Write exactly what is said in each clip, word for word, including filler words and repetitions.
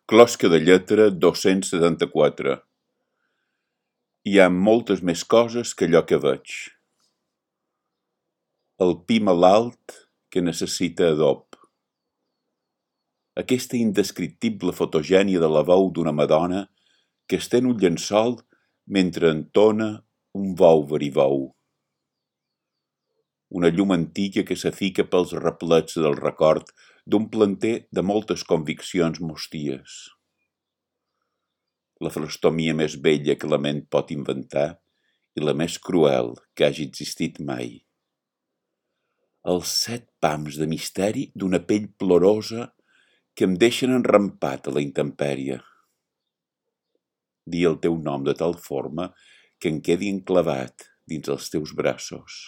Closca de lletra dos-cents setanta-quatre. Hi ha moltes més coses que allò que veig. El pi malalt que necessita adob. Aquesta indescriptible fotogènia de la veu d'una madona que estén un llençol mentre entona un vou verivou. Una llum antiga que s'afica pels replets del record d'un planter de moltes conviccions mosties. La frastomia més bella que la ment pot inventar i la més cruel que hagi existit mai. Els set pams de misteri d'una pell plorosa que em deixen enrampat a la intempèrie. Dir el teu nom de tal forma que em quedi enclavat dins els teus braços.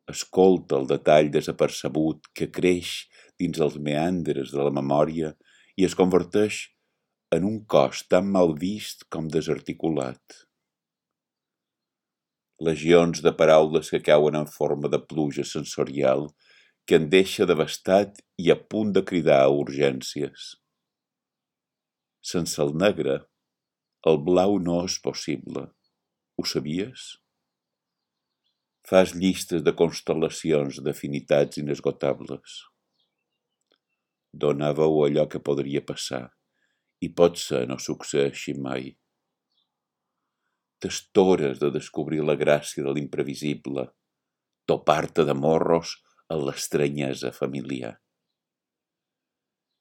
Escolta el detall desapercebut que creix dins els meandres de la memòria i es converteix en un cos tan mal vist com desarticulat. Legions de paraules que cauen en forma de pluja sensorial que em deixa devastat i a punt de cridar a urgències. Sense el negre, el blau no és possible. Ho sabies? Fas llistes de constel·lacions d'afinitats inesgotables. Dona veu a allò que podria passar i potser no succeeixi mai. T'estores de descobrir la gràcia de l'imprevisible, topar-te de morros a l'estranyesa familiar.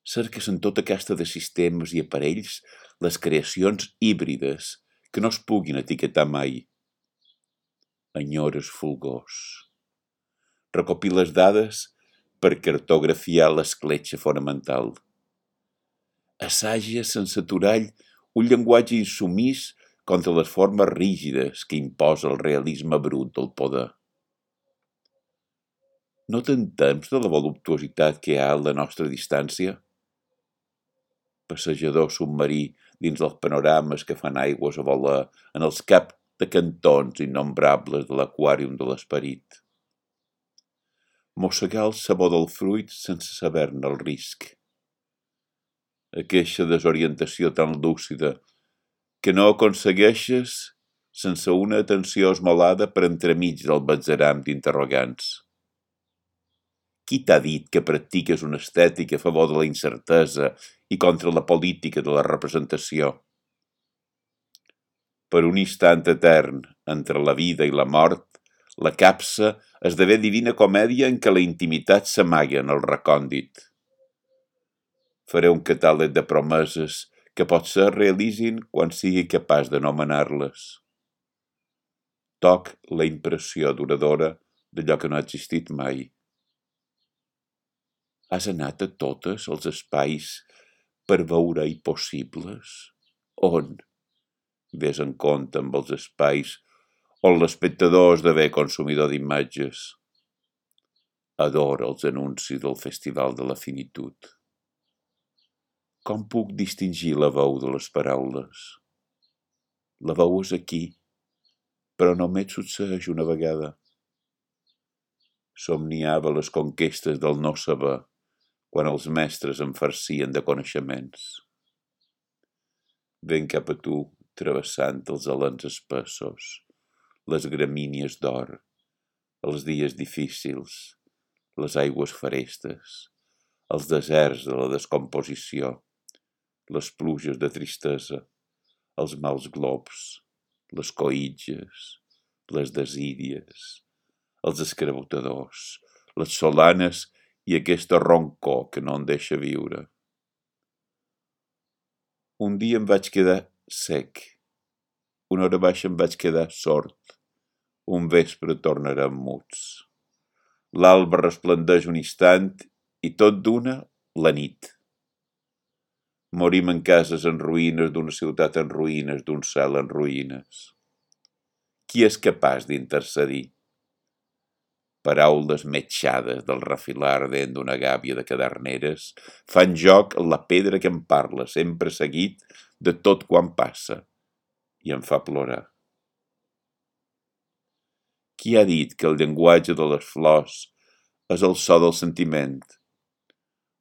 Cerques en tota aquesta de sistemes i aparells les creacions híbrides que no es puguin etiquetar mai. Enyores fulgors. Recopiles dades per cartografiar l'escletxa fonamental. Assages sense aturall un llenguatge insumís contra les formes rígides que imposa el realisme brut del poder. No t'entems de la voluptuositat que hi ha a la nostra distància? Passejador submarí dins els panorames que fan aigües a volar en els caps de cantons innombrables de l'aquàrium de l'esperit. Mossegar el sabor del fruit sense saber-ne el risc. Aquesta desorientació tan lúcida que no aconsegueixes sense una atenció esmolada per entremig del batzeram d'interrogants. Qui t'ha dit que practiques una estètica a favor de la incertesa i contra la política de la representació? Per un instant etern entre la vida i la mort, la capsa esdevé divina comèdia en què la intimitat s'amaga en el recòndit. Faré un catàleg de promeses que potser realitzin quan sigui capaç d'anomenar-les. Toc la impressió duradora d'allò que no ha existit mai. Has anat a totes els espais per veure impossibles? On? Ves en compte amb els espais on l'espectador esdevé consumidor d'imatges. Adora els anuncis del Festival de la Finitud. Com puc distingir la veu de les paraules? La veu és aquí, però només succeeix una vegada. Somniava les conquestes del no saber quan els mestres em farcien de coneixements. Ven cap a tu, travessant els alens espessos, les gramínies d'or, els dies difícils, les aigües ferestes, els deserts de la descomposició, les pluges de tristesa, els mals globs, les coïtges, les desídies, els escrabotadors, les solanes i aquesta roncor que no em deixa viure. Un dia em vaig quedar sec, una hora baixa em vaig quedar sord, un vespre tornarem muts. L'alba resplendeix un instant i tot d'una la nit. Morim en cases en ruïnes d'una ciutat en ruïnes, d'un cel en ruïnes. Qui és capaç d'intercedir? Paraules metxades del refilar ardent d'una gàbia de caderneres fan joc en la pedra que em parla, sempre seguit de tot quan passa, i em fa plorar. Qui ha dit que el llenguatge de les flors és el so del sentiment?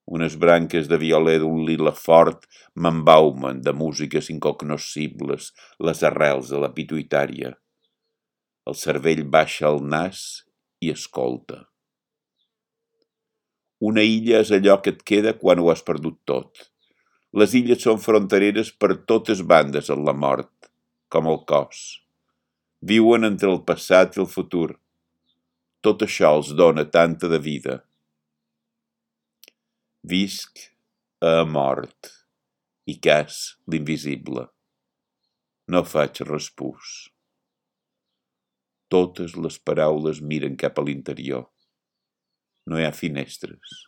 Unes branques de violer d'un lila fort m'embaumen de músiques incognoscibles les arrels de la pituïtària. El cervell baixa el nas i escolta. Una illa és allò que et queda quan ho has perdut tot. Les illes són frontereres per totes bandes en la mort, com el cos. Viuen entre el passat i el futur. Tot això els dona tanta de vida. Visc a mort i cas l'invisible. No faig respús. Totes les paraules miren cap a l'interior. No hi ha finestres.